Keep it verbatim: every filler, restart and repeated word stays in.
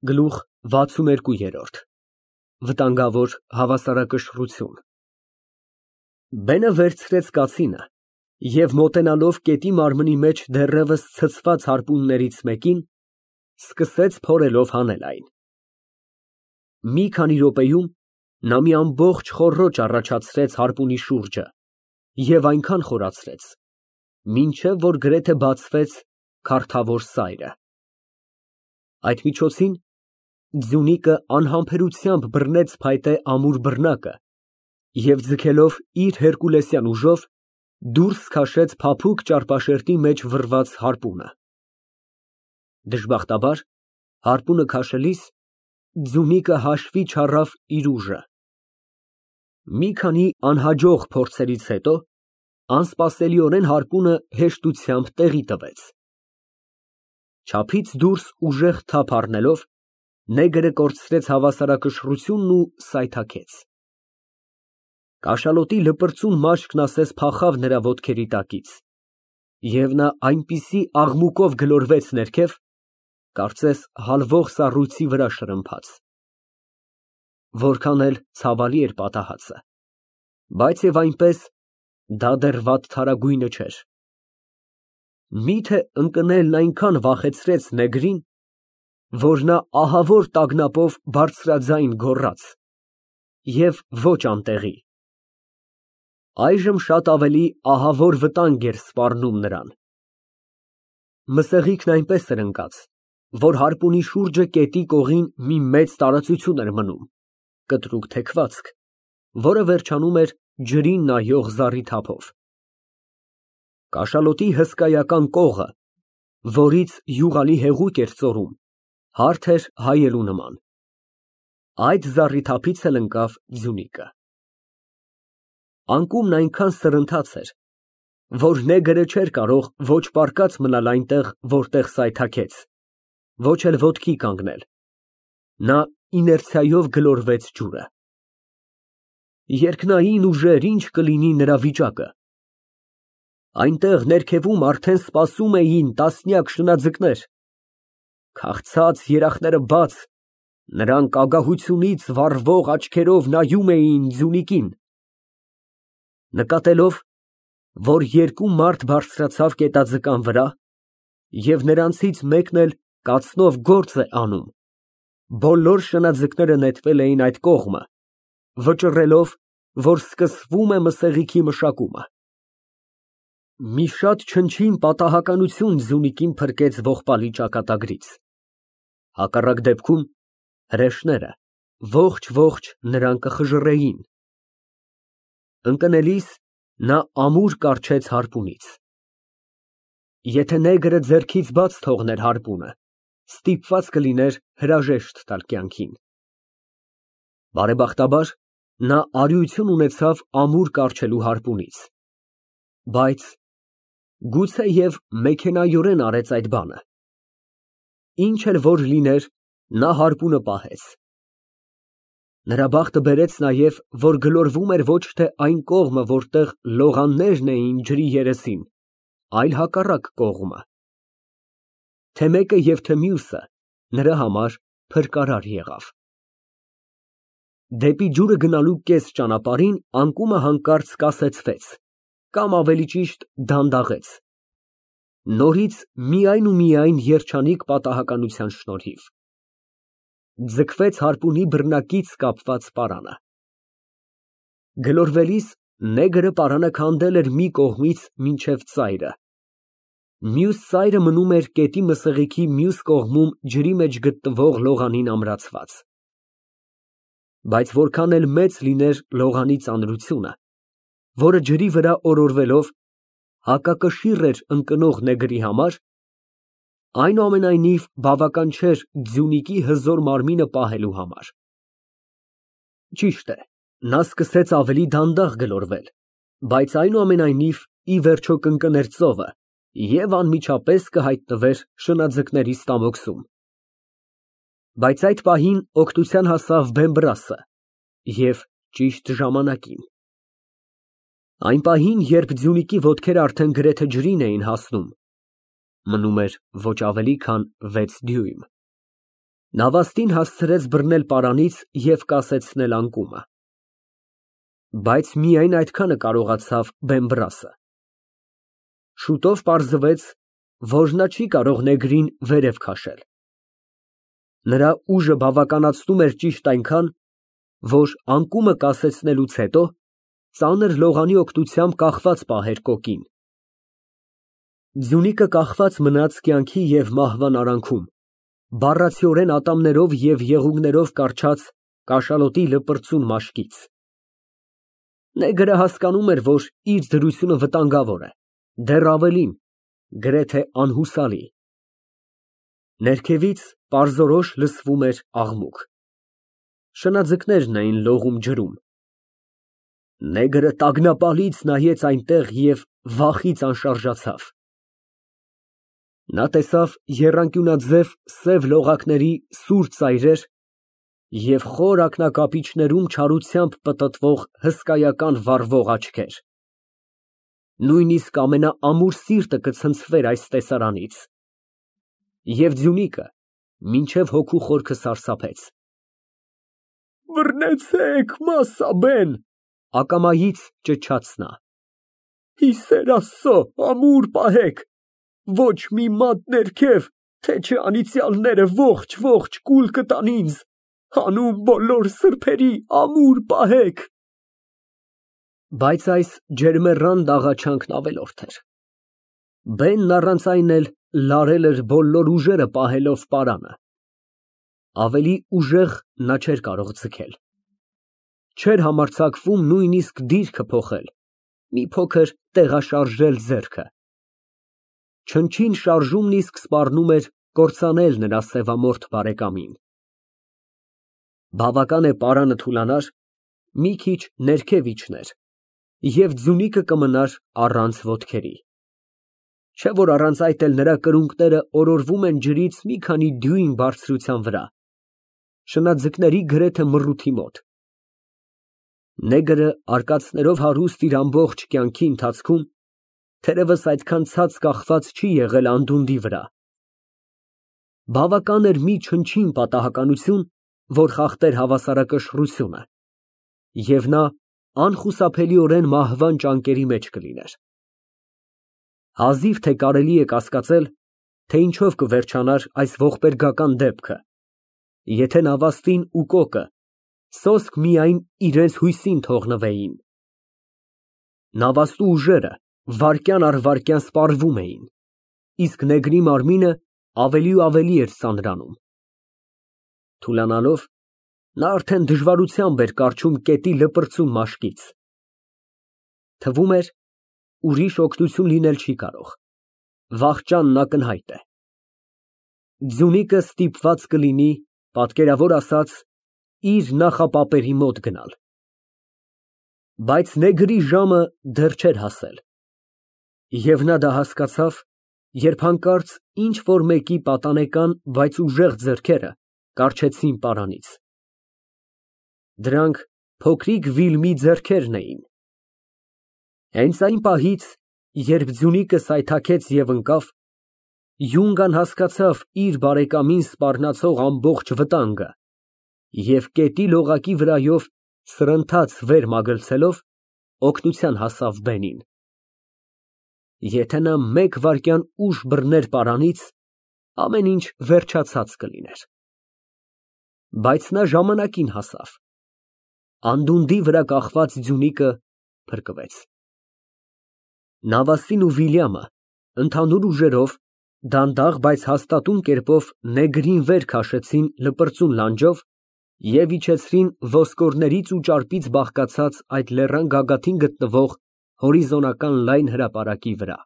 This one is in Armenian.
Գլուխ վաթսուներկու։ Վտանգավոր հավասարակշռություն։ Բենը վերցրեց կացինը և մոտենալով կետի մարմնի մեջ դեռևս ցցված հարպուններից մեկին, սկսեց փորելով հանել այն։ Մի քանի րոպեում նա մի ամբողջ խոռոչ առաջացրեց հարպունի շուրջը և այնքան խորացրեց, մինչև որ գրեթե բացվեց քարթավոր սայրը։ Այդ միջոցին ձյունիկը անհամբերությամբ բռնեց փայտե ամուր բռնակը և ձգելով իր հերկուլեսյան ուժով դուրս քաշեց փափուկ ճարպաշերտի մեջ վռված հարպունը։ Դժբախտաբար, հարպունը քաշելիս ձյունիկը հաշվի չառավ իր ուժը։ Մի քանի անհաջող փորձերից հետո անսպասելիորեն հարպունը հեշտությամբ տեղի տվեց։ Չափից դուրս ուժեղ թափ առնելով, նեգրը կորցրեց հավասարակշռությունն ու սայթաքեց։ Կաշալոտի լպրծուն մաշկն ասես փախավ նրա ոտքերի տակից, և նա այնպիսի աղմուկով գլորվեց ներքև, կարծես հալվող սառույցի վրա շրմփաց։ Որքան էլ ցավալի էր պատահածը, բայց և այնպես դա դեռ վատթարագույնը չէր։ Միթե ընկնելն այնքան վախեցրեց նեգրին, որ նա ահավոր տագնապով բարձրաձայն գոռաց և ոչ անտեղի։ Այժմ շատ ավելի ահավոր վտանգ էր սպառնում նրան։ Մսեղիկն այնպես էր ընկած, որ հարպունի շուրջը կետի կողին մի մեծ տարածություն էր մնում, կտրուկ թեքվածք, որը վերջանում էր ջրին նայող զառիթափով։ Կաշալոտի հսկայական կողը, որից յուղալի հեղուկ էր ծորում, հարթ էր հայելու նման։ Այդ զառիթափից էլ ընկավ ձյունիկը։ Անկումն այնքան սրընթաց էր, որ նեգրը չէր կարող ոչ պառկած մնալ այնտեղ, որտեղ սայթաքեց, ոչ էլ ոտքի կանգնել։ Նա իներցիայով գլորվեց ջուրը։ Երկնային ուժեր, ինչ կլինի նրա վիճակը։ Այնտեղ ներքևում արդեն սպասում էին տասնյակ շնաձկներ։ Քաղցած երախները բաց, նրանք ագահությունից վառվող աչքերով նայում էին ձյունիկին։ Նկատելով, որ երկու մարդ բարձրացավ կետաձկան վրա և նրանցից մեկն էլ կացնով գործ է անում, բոլոր շնաձկները նետվել էին այդ կողմը, վճռելով, որ սկսվում է մսեղիքի մշակումը։ Մի շատ չնչին պատահականություն ձյունիկին փրկեց ողբալի ճակատագրից։ Հակառակ դեպքում հրեշները ողջ֊ողջ նրան կխժռեին։ Ընկնելիս նա ամուր կառչեց հարպունից։ Եթե նեգրը ձեռքից բաց թողներ հարպունը, ստիպված կլիներ հրաժեշտ տալ կյանքին։ Բարեբախտաբար, նա արիություն ունեցավ ամուր կառչելու հարպունից, բայց գուցեև մեքենայորեն արեց այդ բանը։ Ինչ էլ որ լիներ, նա հարպունը պահեց։ Նրա բախտը բերեց նաև, որ գլորվում էր ոչ թե այն կողմը, որտեղ լողաններն էին ջրի երեսին, այլ հակառակ կողմը։ Թե մեկը և թե մյուսը նրա համար փրկարար եղավ։ Դեպի ջուրը գնալու կես ճանապարհին անկումը հանկարծ կասեցվեց, կամ ավելի ճիշտ դանդաղեց, նորից միայն ու միայն երջանիկ պատահականության շնորհիվ։ Ձգվեց հարպունի բռնակից կապված պարանը։ Գլորվելիս նեգրը պարանը քանդել էր մի կողմից մինչև ծայրը։ Մյուս ծայրը մնում էր կետի մսեղիքի մյուս կողմում ջրի մեջ գտնվող լողանին ամրացված։ Բայց որքան էլ մեծ լիներ լողանի ծանրությունը, որը ջրի վրա օրորվելով հակակշիռ էր ընկնող նեգրի համար, այնուամենայնիվ բավական չէր ձյունիկի հզոր մարմինը պահելու համար։ Ճիշտ է, նա սկսեց ավելի դանդաղ գլորվել, բայց այնուամենայնիվ ի վերջո կընկներ ծովը և անմիջապես կհայտնվեր շնաձկների ստամոքսում։ Բայց այդ պահին օգնության հասավ Բեմբրասը և ճիշտ ժամանակին։ Այն պահին, երբ ձյունիկի ոտքերը արդեն գրեթե ջրին էին հասնում, մնում էր ոչ ավելի քան վեց դյույմ, Նավաստին հասցրեց բռնել պարանից և կասեցնել անկումը, բայց միայն այդքանը կարողացավ Բեմբռասը։ Շուտով պարզվեց, որ նա չի կարող նեգրին վերև քաշել։ Նրա ուժը բավականացնում էր ճիշտ այնքան, որ անկումը կասեցնելուց հետո ծանր լողանի օգնությամբ կախված պահեր կոկին։ Ձյունիկը կախված մնաց կյանքի և մահվան արանքում, բառացիորեն ատամներով և եղուգներով կառչած կաշալոտի լպրծուն մաշկից։ Նեգրը հասկանում էր, որ իր դրությունը վտանգավոր է, դեռ ավելին, գրեթե անհուսալի։ Ներքևից պարզորոշ լսվում էր աղմուկ։ Շնաձկներն էին լողում ջրում։ Նեգրը տագնապալից նայեց այնտեղ և վախից անշարժացավ։ Նա տեսավ եռանկյունաձև սև լողակների սուր ծայրեր և խոր ակնակապիճներում չարությամբ պտտվող հսկայական վառվող աչքեր։ Նույնիսկ ամենաամուր սիրտը կցնցվեր այս տեսարանից։ Եվ ձյունիկը մինչև հոգու խորքը սարսափեց։ Բռնեցե՛ք, մասաբեն, ակամայից ճչաց նա։ Հիսեր Աստծո, ամուր պահեք, ոչ մի մատ ներքև, թե չէ անիծյալները ողջ֊ողջ կուլ կտան ինձ, հանուն բոլոր սրբերի ամուր պահեք։ Բայց այս ջերմեռան դաղաչանքն ավելորդ էր։ Բենն առանց այն էլ լարել էր բոլոր ուժերը պահելով պարանը։ Ավելի ուժեղ նա չէր կարող ձգել։ Չէր համարձակվում նույնիսկ դիրքը փոխել, մի փոքր տեղաշարժել ձեռքը։ Չնչին շարժումն իսկ սպառնում էր կործանել նրա սևամորթ բարեկամին։ Բավական է պարանը թուլանար, մի քիչ ներքև իջներ, և ձյունիկը կմնար առանց ոտքերի։ Չէ որ առանց այդ էլ նրա կրունկները օրորվում են ջրից մի քանի դյույմ բարձրության վրա, շնաձկների գրեթե մռութի մոտ։ Նեգրը արկածներով հարուստ իր ամբողջ կյանքի ընթացքում թերևս այդքան ցած կախված չի եղել անդունդի վրա։ Բավական էր մի չնչին պատահականություն, որ խախտեր հավասարակշռությունը, և նա անխուսափելիորեն մահվան ճանկերի մեջ կլիներ։ Հազիվ թե կարելի է կասկածել, թե ինչով կվերջանար այս ողբերգական դեպքը, եթե նավաստին ու կոկը սոսկ միայն իրենց հույսին թողնվեին։ Նավաստու ուժերը վայրկյան առ վայրկյան սպառվում էին, իսկ նեգրի մարմինը ավելի ու ավելի էր ծանրանում։ Թուլանալով, նա արդեն դժվարությամբ էր կառչում կետի լպրծուն մաշկից։ Թվում էր, ուրիշ օգնություն լինել չի կարող, վախճանն ակնհայտ է։ Ձյունիկը ստիպված կլինի, պատկերավոր ասած, իր նախապապերի մոտ գնալ։ Բայց նեգրի ժամը դեռ չէր հասել։ Եվ նա դա հասկացավ, երբ հանկարծ ինչ֊որ մեկի պատանեկան, բայց ուժեղ ձեռքերը կառչեցին պարանից։ Դրանք փոքրիկ Վիլմի ձեռքերն էին։ Հենց այն պահից, երբ ձյունիկը սայթաքեց և ընկավ, Յունգան հասկացավ իր բարեկամին սպառնացող ամբողջ վտանգը և կետի լողակի վրայով սրընթաց վեր մագլցելով օգնության հասավ բենին։ Եթե նա մեկ վայրկյան ուշ բռներ պարանից, ամեն ինչ վերջացած կլիներ։ Բայց նա ժամանակին հասավ։ Անդունդի վրա կախված ձյունիկը փրկվեց։ Նավաստին ու Վիլյամը ընդհանուր ուժերով, դանդաղ, բայց հաստատուն կերպով նեգրին վեր քաշեցին լպրծուն լանջով և իջեցրին ոսկորներից ու ճարպից բաղկացած այդ լեռան գագաթին գտնվող հորիզոնական լայն հրապարակի վրա։